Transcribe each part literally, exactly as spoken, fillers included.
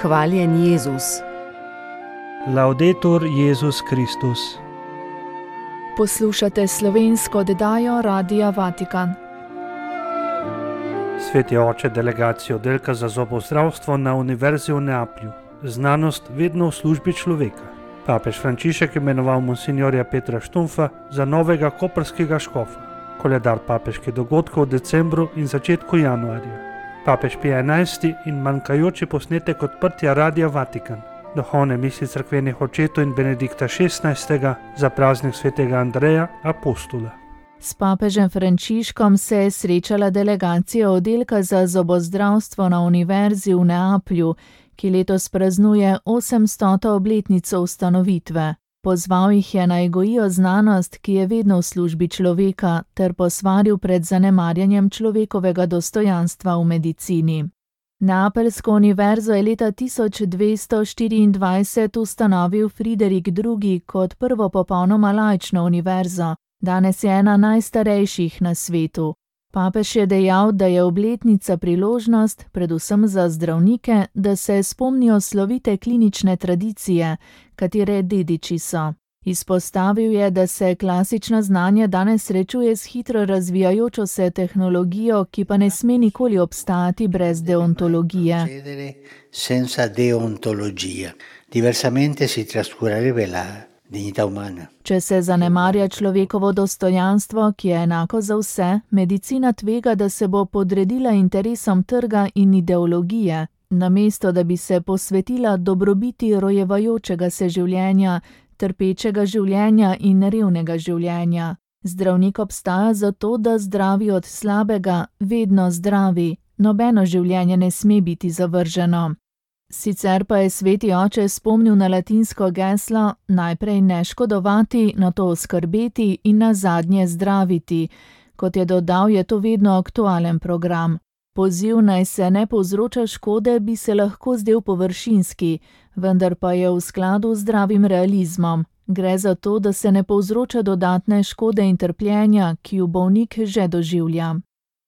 Hvaljen Jezus. Laudetur Jezus Kristus. Poslušate slovensko oddajo Radia Vatikan. Sveti oče delegacije oddelka za zobozdravstvo na Univerzi v Neaplju. Znanost vedno v službi človeka. Papež Frančišek imenoval monsinjorja Petra Štumfa za novega koprskega škofa. Koledar papeških dogodkov v decembru in začetku januarja. Papež Pije enajsti in manjkajoči posnetek odprtja Radia Vatikan. Duhovne misli cerkvenih očetov in Benedikta šestnajstega za praznik svetega Andreja, apostola. S papežem Frančiškom se je srečala delegacija oddelka za zobozdravstvo na Univerzi v Neaplju, ki letos praznuje osemstoto obletnico ustanovitve. Pozval jih je naj gojijo znanost, ki je vedno v službi človeka, ter posvaril pred zanemarjanjem človekovega dostojanstva v medicini. Neapeljsko univerzo je leta tisoč dvesto štiriindvajset ustanovil Friderik drugi. kot prvo popolnoma laično univerzo. Danes je ena najstarejših na svetu. Papež je dejal, da je obletnica priložnost, predvsem za zdravnike, da se spomnijo slovite klinične tradicije, katere dediči so. Izpostavil je, da se klasično znanje danes srečuje s hitro razvijajočo se tehnologijo, ki pa ne sme nikoli obstajati brez deontologije. Senza deontologia. Diversamente si trascurarebbe la dignità umana. Če se zanemarja človekovo dostojanstvo, ki je enako za vse, medicina tvega, da se bo podredila interesom trga in ideologije, namesto da bi se posvetila dobrobiti rojevajočega se življenja, trpečega življenja in revnega življenja. Zdravnik obstaja zato, da zdravi od slabega, vedno zdravi. Nobeno življenje ne sme biti zavrženo. Sicer pa je sveti oče spomnil na latinsko geslo najprej ne škodovati, nato oskrbeti in nazadnje zdraviti. Kot je dodal, je to vedno aktualen program. Poziv naj se ne povzroča škode bi se lahko zdel površinski, vendar pa je v skladu z zdravim realizmom. Gre za to, da se ne povzroča dodatne škode in trpljenja, ki jo bolnik že doživlja.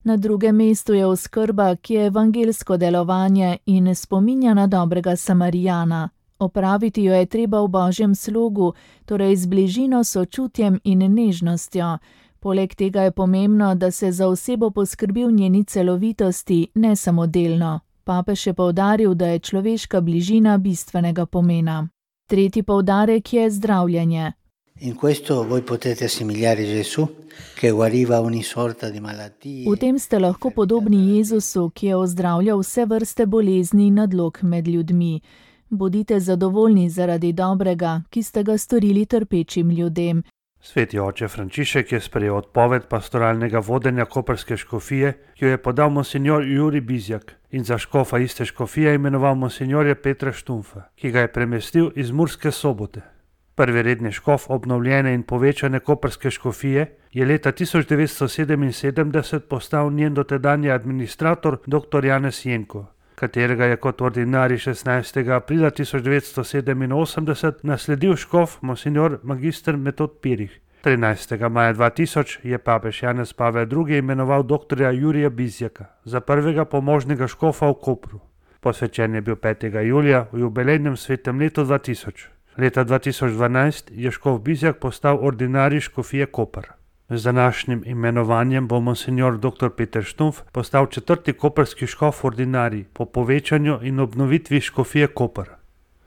Na drugem mestu je oskrba, ki je evangelsko delovanje in spominja na dobrega Samarijana. Opraviti jo je treba v Božjem slogu, torej z bližino, sočutjem in nežnostjo. Poleg tega je pomembno, da se za osebo poskrbi v njeni celovitosti, ne samo delno. Papež je poudaril, da je človeška bližina bistvenega pomena. Tretji poudarek je zdravljenje. In questo voi potete assimiliare Gesù, che guariva ogni sorta di malattie. V tem ste lahko podobni Jezusu, ki je ozdravljal vse vrste bolezni in nadlog med ljudmi. Bodite zadovoljni zaradi dobrega, ki ste ga storili trpečim ljudem. Sveti oče Frančišek je sprejel odpoved pastoralnega vodenja koprske škofije, ki jo je podal monsinjor Jurij Bizjak, in za škofa iste škofije imenoval monsinjorja Petra Štumfa, ki ga je premestil iz Murske Sobote. Prvi redni škof obnovljene in povečane koprske škofije je leta tisoč devetsto sedeminsedemdeset postal njen dotedanji administrator dr. Janez Jenko, katerega je kot ordinarij šestnajstega aprila tisoč devetsto sedeminosemdeset nasledil škof monsinjor magister Metod Pirih. trinajstega maja dva tisoč je papež Janez Pavel drugi imenoval dr. Jurija Bizjaka za prvega pomožnega škofa v Kopru. Posvečen je bil petega julija v jubilejnem svetem letu dva tisoč. Leta dva tisoč dvanajst je škof Bizjak postal ordinarij škofije Koper. Z današnjim imenovanjem bo monsinjor dr. Peter Štumf postal četrti koprski škof ordinarij po povečanju in obnovitvi škofije Koper.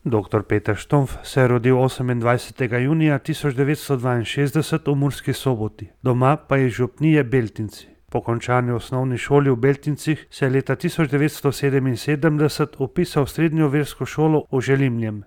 dr. Peter Štumf se je rodil osemindvajsetega junija tisoč devetsto dvainšestdeset v Murski Soboti, doma pa je iz župnije Beltinci. Po končani osnovni šoli v Beltincih se je leta tisoč devetsto sedeminsedemdeset vpisal v srednjo versko šolo v Želimljem.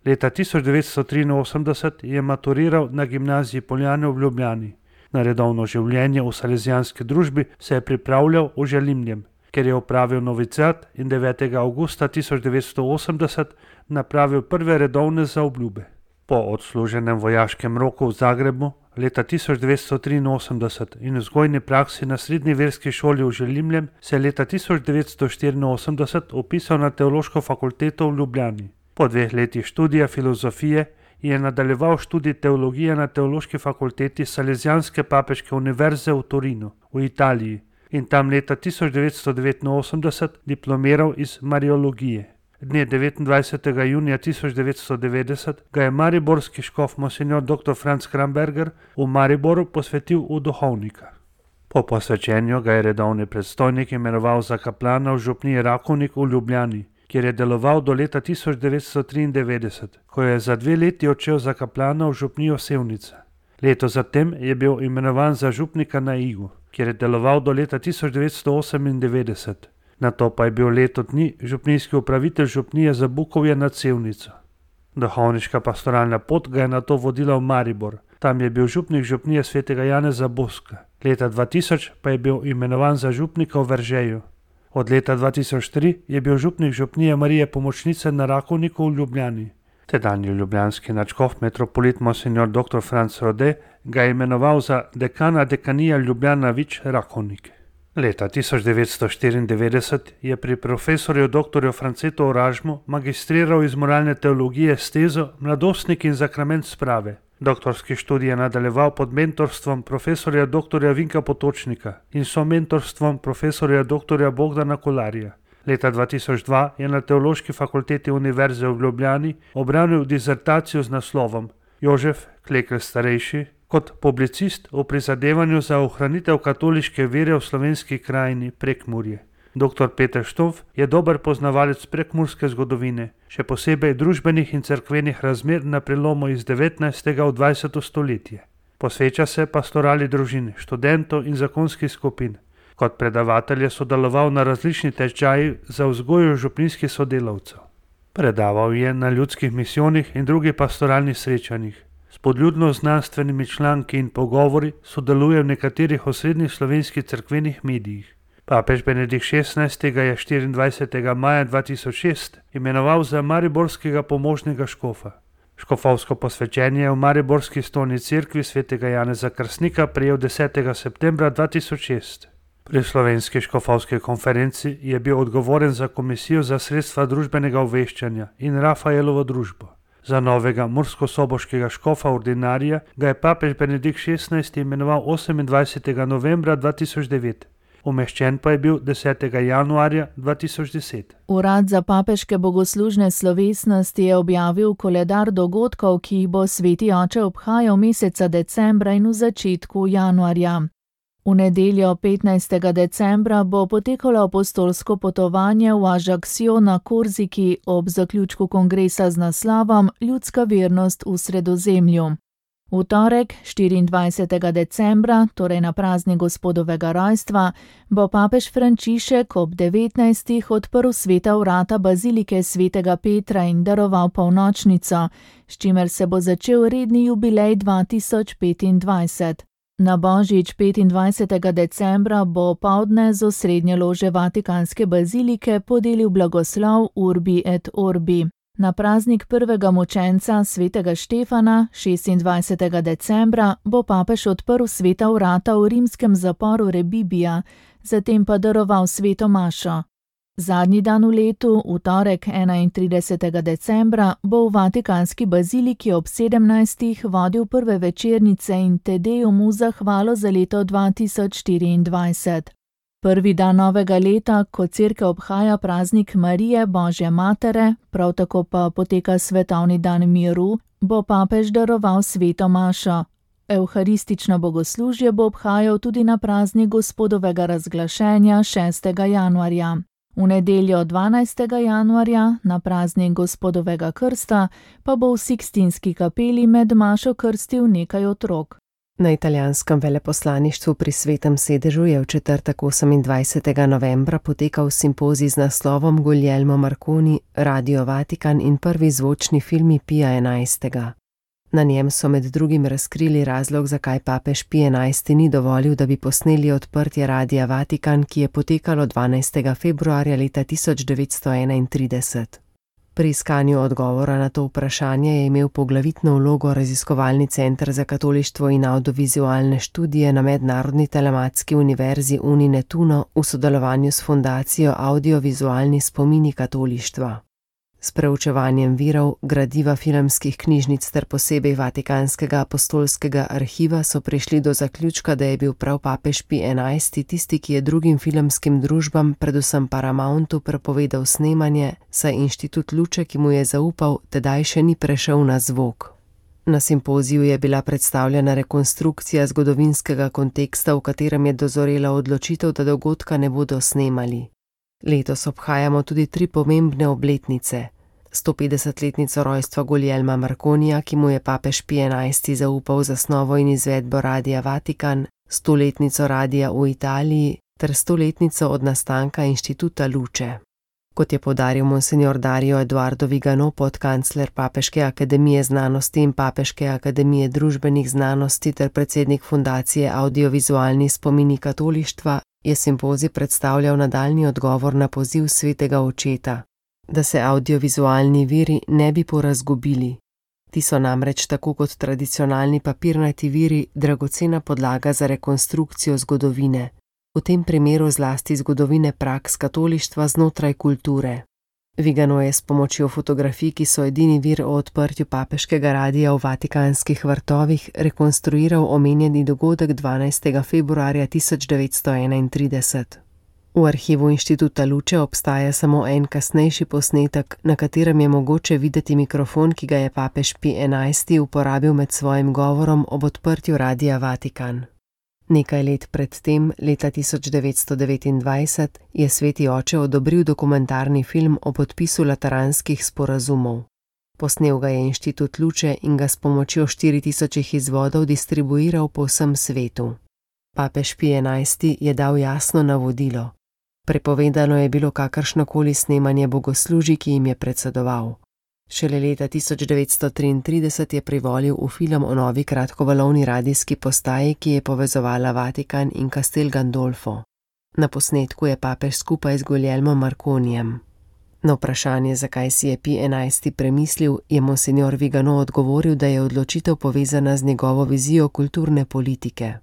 Leta tisoč devetsto triinosemdeset je maturiral na gimnaziji Poljane v Ljubljani. Na redovno življenje v salezijanski družbi se je pripravljal v Želimljem, ker je opravil noviciat in devetega avgusta tisoč devetsto osemdeset napravil prve redovne zaobljube. Po odsluženem vojaškem roku v Zagrebu leta tisoč devetsto triinosemdeset in vzgojni praksi na srednji verski šoli v Želimljem se je leta tisoč devetsto štiriinosemdeset vpisal na teološko fakulteto v Ljubljani. Po dveh letih študija filozofije je nadaljeval študij teologije na teološki fakulteti Salezijanske papeške univerze v Torinu v Italiji in tam leta tisoč devetsto devetinosemdeset diplomiral iz mariologije. dne devetindvajsetega junija tisoč devetsto devetdeset, ga je mariborski škof monsignor doktor Franc Kramberger v Mariboru posvetil v duhovnika. Po posvečenju ga je redovni predstojnik imenoval za kaplana v župniji Rakovnik v Ljubljani, kjer je deloval do leta tisoč devetsto triindevetdeset, ko je za dve leti odšel za kaplana v župnijo Sevnica. Leto zatem je bil imenovan za župnika na Igu, kjer je deloval do leta tisoč devetsto osemindevetdeset. Nato pa je bil leto dni župnijski upravitelj župnije za Bukovje nad Sevnico. Duhovniška pastoralna pot ga je nato vodila v Maribor. Tam je bil župnik župnije svetega Janeza Boska. Leta dva tisoč pa je bil imenovan za župnika v Veržeju. Od leta dva tisoč tri je bil župnik župnije Marije Pomočnice na Rakovniku v Ljubljani. Tedanji ljubljanski nadškof metropolit monsignor doktor Franc Rode ga je imenoval za dekana dekanija Ljubljana Vič Rakovnik. Leta tisoč devetsto štiriindevetdeset je pri profesorju doktorju Francetu Oražmu magistriral iz moralne teologije s tezo Mladostnik in zakrament sprave. Doktorski študij je nadaljeval pod mentorstvom profesorja doktorja Vinka Potočnika in so mentorstvom profesorja doktorja Bogdana Kolarja. Leta dva tisoč dva je na Teološki fakulteti Univerze v Ljubljani obranil disertacijo z naslovom Jožef Klekl starejši kot publicist v prizadevanju za ohranitev katoliške vere v slovenski krajini Prekmurje. Doktor Peter Štumpf je dober poznavalec prekmurske zgodovine, še posebej družbenih in cerkvenih razmer na prelomu iz devetnajstega v dvajseto stoletje. Posveča se pastorali družin, študentov in zakonskih skupin. Kot predavatelj je sodeloval na različnih tečajih za vzgojo župnijskih sodelavcev. Predaval je na ljudskih misijonih in drugih pastoralnih srečanjih. S podljudno znanstvenimi članki in pogovori sodeluje v nekaterih osrednjih slovenskih cerkvenih medijih. Papež Benedikt šestnajsti ga je štiriindvajsetega maja dva tisoč šest imenoval za mariborskega pomožnega škofa. Škofovsko posvečenje je v mariborski stolni cerkvi svetega Janeza Krstnika prejel desetega septembra dva tisoč šest. Pri slovenski škofovski konferenci je bil odgovoren za komisijo za sredstva družbenega obveščanja in Rafaelovo družbo. Za novega murskosoboškega škofa ordinarija ga je papež Benedikt šestnajsti imenoval osemindvajsetega novembra dva tisoč devet. Umeščen pa je bil desetega januarja dva tisoč deset. Urad za papeške bogoslužne slovesnosti je objavil koledar dogodkov, ki jih bo sveti oče obhajal meseca decembra in v začetku januarja. V nedeljo petnajstega decembra bo potekalo apostolsko potovanje v Ajaccio na Korziki ob zaključku kongresa z naslovom Ljudska vernost v Sredozemlju. V torek, štiriindvajsetega decembra, torej na praznik Gospodovega rojstva, bo papež Frančišek ob devetnajstih odprl sveta vrata bazilike svetega Petra in daroval polnočnico, s čimer se bo začel redni jubilej dva tisoč petindvajset. Na božič petindvajsetega decembra bo opoldne z osrednje lože Vatikanske bazilike podelil blagoslov Urbi et Orbi. Na praznik prvega mučenca svetega Štefana, šestindvajsetega decembra, bo papež odprl sveta vrata v rimskem zaporu Rebibija, zatem pa daroval sveto mašo. Zadnji dan v letu, v torek enaintridesetega decembra, bo v Vatikanski baziliki ob sedemnajstih vodil prve večernice in Te Deum v zahvalo za leto dva tisoč štiriindvajset. Prvi dan novega leta, ko cerkev obhaja praznik Marije, Božje matere, prav tako pa poteka svetovni dan miru, bo papež daroval sveto mašo. Evharistično bogoslužje bo obhajal tudi na praznik Gospodovega razglašenja šestega januarja. V nedeljo dvanajstega januarja, na praznik Gospodovega krsta, pa bo v Sikstinski kapeli med mašo krstil nekaj otrok. Na italijanskem veleposlaništvu pri Svetem sedežu je v četrtek osemindvajsetega novembra potekal simpozij z naslovom Guglielmo Marconi, Radio Vatikan in prvi zvočni filmi Pija enajstega. Na njem so med drugim razkrili razlog, zakaj papež Pij enajsti ni dovolil, da bi posneli odprtje Radia Vatikan, ki je potekalo dvanajstega februarja leta tisoč devetsto enaintrideset. Pri iskanju odgovora na to vprašanje je imel poglavitno vlogo raziskovalni center za katolištvo in audiovizualne študije na Mednarodni telematski univerzi Uninetuno v sodelovanju s fundacijo Audiovizualni spomini katolištva. S preučevanjem virov, gradiva filmskih knjižnic ter posebej Vatikanskega apostolskega arhiva so prišli do zaključka, da je bil prav papež Pij enajsti tisti, ki je drugim filmskim družbam, predvsem Paramountu, prepovedal snemanje, saj inštitut Luče, ki mu je zaupal, tedaj še ni prešel na zvok. Na simpoziju je bila predstavljena rekonstrukcija zgodovinskega konteksta, v katerem je dozorela odločitev, da dogodka ne bodo snemali. Letos obhajamo tudi tri pomembne obletnice. stopetdesetletnico rojstva Guglielma Marconija, ki mu je papež Pij enajsti zaupal zasnovo in izvedbo Radia Vatikan, stoletnico radia v Italiji ter stoletnico od nastanka inštituta Luče. Kot je poudaril monsignor Dario Eduardo Vigano, podkancler Papeške akademije znanosti in Papeške akademije družbenih znanosti ter predsednik fundacije Audiovizualni spomini katolištva, je simpozij predstavljal nadaljnji odgovor na poziv svetega očeta, da se audiovizualni viri ne bi porazgubili. Ti so namreč tako kot tradicionalni papirnati viri dragocena podlaga za rekonstrukcijo zgodovine, v tem primeru zlasti zgodovine praks katolištva znotraj kulture. Vigano je s pomočjo fotografij, ki so edini vir o odprtju papeškega radia v Vatikanskih vrtovih, rekonstruiral omenjeni dogodek dvanajstega februarja tisoč devetsto enaintrideset. V arhivu inštituta Luče obstaja samo en kasnejši posnetek, na katerem je mogoče videti mikrofon, ki ga je papež Pij enajsti uporabil med svojim govorom ob odprtju radia Vatikan. Nekaj let pred tem, leta tisoč devetsto devetindvajset, je sveti oče odobril dokumentarni film o podpisu lateranskih sporazumov. Posnel ga je inštitut Luče in ga s pomočjo štiri tisoč izvodov distribuiral po vsem svetu. Papež Pij enajsti je dal jasno navodilo. Prepovedano je bilo kakršnokoli snemanje bogoslužij, ki jim je predsedoval. Šele leta tisoč devetsto triintrideset je privolil v film o novi kratkovalovni radijski postaji, ki je povezovala Vatikan in Castel Gandolfo. Na posnetku je papež skupaj z Guglielmom Marconijem. Na vprašanje, zakaj si je Pij enajsti premislil, je monsignor Vigano odgovoril, da je odločitev povezana z njegovo vizijo kulturne politike.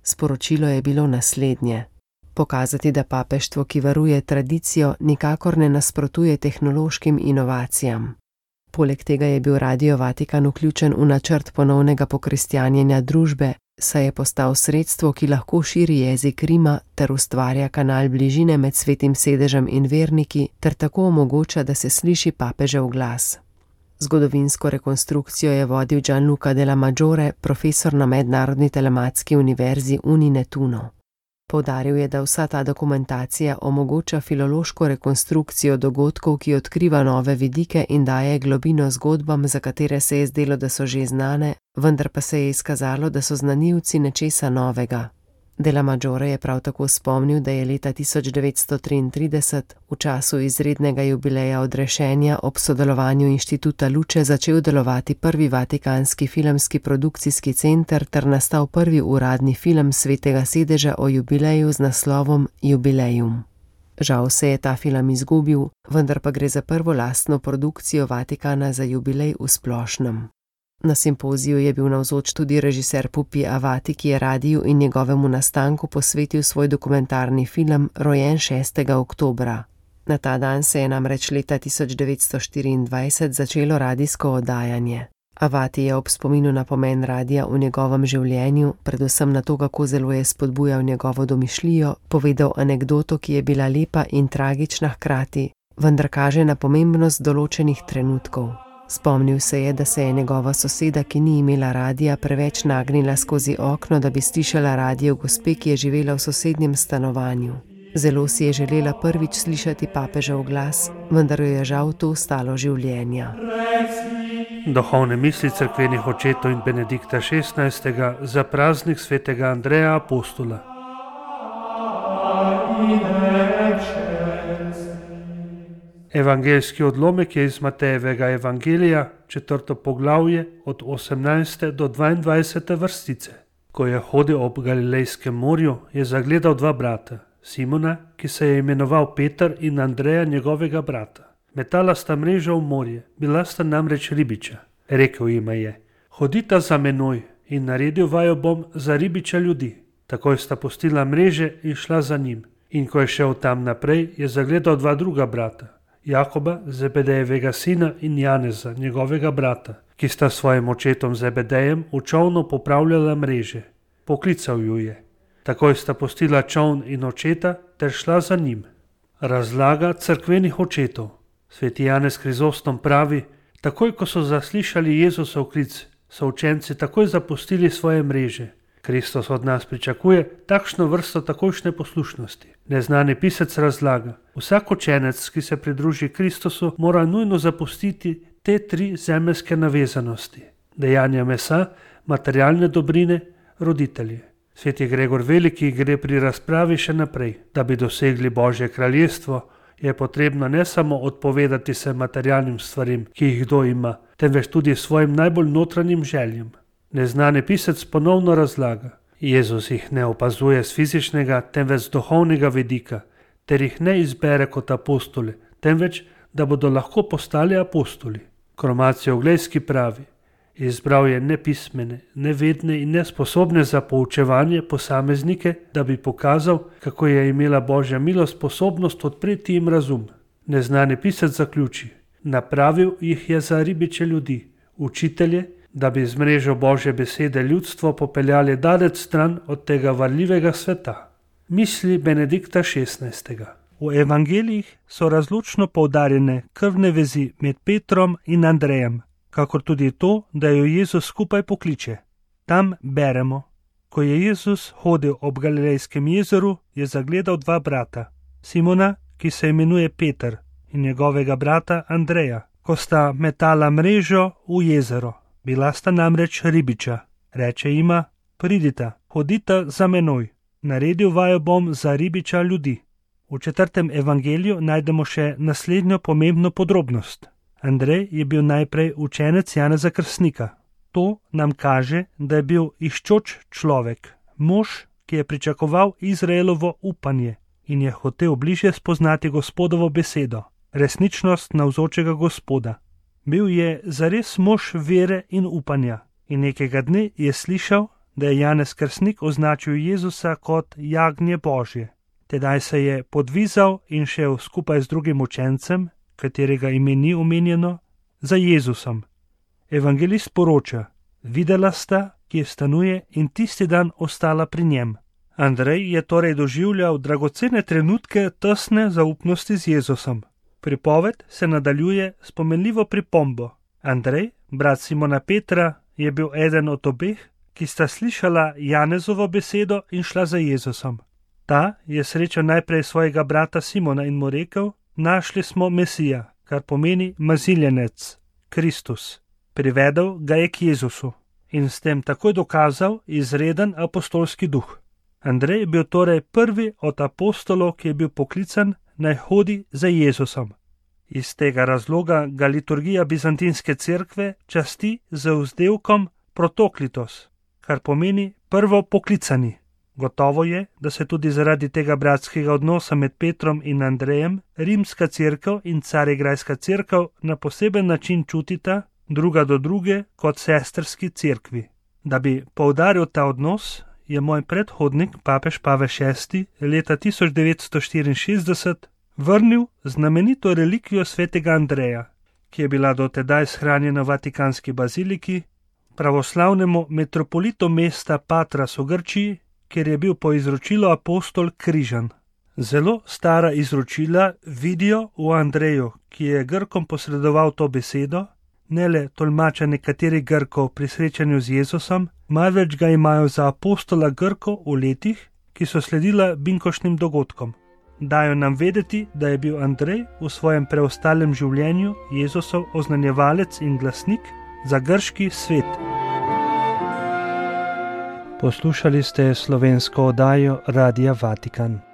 Sporočilo je bilo naslednje: pokazati, da papeštvo, ki varuje tradicijo, nikakor ne nasprotuje tehnološkim inovacijam. Poleg tega je bil Radio Vatikan vključen v načrt ponovnega pokristjanjenja družbe, saj je postal sredstvo, ki lahko širi jezik Rima ter ustvarja kanal bližine med svetim sedežem in verniki ter tako omogoča, da se sliši papežev glas. Zgodovinsko rekonstrukcijo je vodil Gianluca Della Maggiore, profesor na Mednarodni telematski univerzi Uninetuno. Poudaril je, da vsa ta dokumentacija omogoča filološko rekonstrukcijo dogodkov, ki odkriva nove vidike in daje globino zgodbam, za katere se je zdelo, da so že znane, vendar pa se je izkazalo, da so znanilci nečesa novega. Della Maggiore je prav tako spomnil, da je leta tisoč devetsto triintrideset, v času izrednega jubileja odrešenja, ob sodelovanju inštituta Luče začel delovati prvi vatikanski filmski produkcijski center ter nastal prvi uradni film svetega sedeža o jubileju z naslovom Jubilejum. Žal se je ta film izgubil, vendar pa gre za prvo lastno produkcijo Vatikana za jubilej v splošnem. Na simpoziju je bil navzoč tudi režiser Pupi Avati, ki je radiju in njegovemu nastanku posvetil svoj dokumentarni film Rojen šestega oktobra. Na ta dan se je namreč leta tisoč devetsto štiriindvajset začelo radijsko oddajanje. Avati je ob spominu na pomen radija v njegovem življenju, predvsem na to, kako zelo je spodbujal njegovo domišljijo, povedal anekdoto, ki je bila lepa in tragična hkrati, vendar kaže na pomembnost določenih trenutkov. Spomnil se je, da se je njegova soseda, ki ni imela radija, preveč nagnila skozi okno, da bi slišala radio gospe, ki je živela v sosednjem stanovanju. Zelo si je želela prvič slišati papežev glas, vendar jo je žal to stalo življenja. Duhovne misli cerkvenih očetov in Benedikta šestnajstega za praznik svetega Andreja Apostola. Evangeljski odlomek je iz Matejevega evangelija, četrto poglavje, od osemnajste do dvaindvajsete vrstice. Ko je hodil ob Galilejskem morju, je zagledal dva brata, Simona, ki se je imenoval Peter, in Andreja, njegovega brata. Metala sta mrežo v morje, bila sta namreč ribiča. Rekel jima je: hodita za menoj in naredil vaju bom za ribiča ljudi. Takoj sta pustila mreže in šla za njim. In ko je šel tam naprej, je zagledal dva druga brata. Jakoba, Zebedejevega sina, in Janeza, njegovega brata, ki sta s svojim očetom Zebedejem v čolnu popravljala mreže. Poklical ju je. Takoj sta pustila čoln in očeta ter šla za njim. Razlaga cerkvenih očetov. Sveti Janez Krizostom pravi: takoj, ko so zaslišali Jezusov klic, so učenci takoj zapustili svoje mreže. Kristus od nas pričakuje takšno vrsto takojšnje poslušnosti. Neznani pisec razlaga: vsak učenec, ki se pridruži Kristusu, mora nujno zapustiti te tri zemeljske navezanosti: dejanja mesa, materialne dobrine, roditelje. Sveti Gregor Veliki gre pri razpravi še naprej. Da bi dosegli Božje kraljestvo, je potrebno ne samo odpovedati se materialnim stvarim, ki jih kdo ima, temveč tudi svojim najbolj notranjim željem. Neznani pisec ponovno razlaga: Jezus jih ne opazuje z fizičnega, temveč z duhovnega vidika, ter jih ne izbere kot apostole, temveč da bodo lahko postali apostoli. Kromacijo Oglejski pravi: izbral je nepismene, nevedne in nesposobne za poučevanje posameznike, da bi pokazal, kako je imela Božja milost sposobnost odpreti jim razum. Neznani pisec zaključi: napravil jih je za ribiče ljudi, učitelje, da bi z mrežo Božje besede ljudstvo popeljali daleč stran od tega varljivega sveta. Misli Benedikta šestnajstega. V evangelijih so razločno poudarjene krvne vezi med Petrom in Andrejem, kakor tudi to, da jo Jezus skupaj pokliče. Tam beremo: ko je Jezus hodil ob Galilejskem jezeru, je zagledal dva brata, Simona, ki se imenuje Peter, in njegovega brata Andreja, ko sta metala mrežo v jezero. Bila sta namreč ribiča. Reče jima: pridita, hodita za menoj, naredil vaju bom za ribiča ljudi. V četrtem evangeliju najdemo še naslednjo pomembno podrobnost. Andrej je bil najprej učenec Janeza Krstnika. To nam kaže, da je bil iščoč človek, mož, ki je pričakoval Izraelovo upanje in je hotel bližje spoznati Gospodovo besedo, resničnost navzočega Gospoda. Bil je zares mož vere in upanja in nekega dne je slišal, da je Janez Krstnik označil Jezusa kot jagnje Božje. Tedaj se je podvizal in šel skupaj z drugim učencem, katerega ime ni omenjeno, za Jezusom. Evangelist poroča: videla sta, kje stanuje, in tisti dan ostala pri njem. Andrej je torej doživljal dragocene trenutke tesne zaupnosti z Jezusom. Pripoved se nadaljuje s pomenljivo pripombo. Andrej, brat Simona Petra, je bil eden od obeh, ki sta slišala Janezovo besedo in šla za Jezusom. Ta je srečal najprej svojega brata Simona in mu rekel: našli smo Mesija, kar pomeni maziljenec, Kristus. Privedel ga je k Jezusu in s tem takoj dokazal izreden apostolski duh. Andrej je bil torej prvi od apostolov, ki je bil poklican, naj hodi za Jezusom. Iz tega razloga ga liturgija bizantinske cerkve časti z vzdevkom protoklitos, kar pomeni prvo poklicani. Gotovo je, da se tudi zaradi tega bratskega odnosa med Petrom in Andrejem rimska cerkev in carigrajska cerkev na poseben način čutita druga do druge kot sestrski cerkvi. Da bi poudaril ta odnos, je moj predhodnik, papež Pavel šesti, leta tisoč devetsto štiriinšestdeset vrnil znamenito relikvijo svetega Andreja, ki je bila do tedaj shranjena v Vatikanski baziliki, pravoslavnemu metropolitu mesta Patras v Grčiji, kjer je bil po izročilu apostol križan. Zelo stara izročila vidijo v Andreju, ki je Grkom posredoval to besedo, ne le tolmača nekaterih Grkov pri srečanju z Jezusom, marveč ga imajo za apostola Grkov v letih, ki so sledila binkošnim dogodkom. Dajo nam vedeti, da je bil Andrej v svojem preostalem življenju Jezusov oznanjevalec in glasnik za grški svet. Poslušali ste slovensko oddajo Radia Vatikan.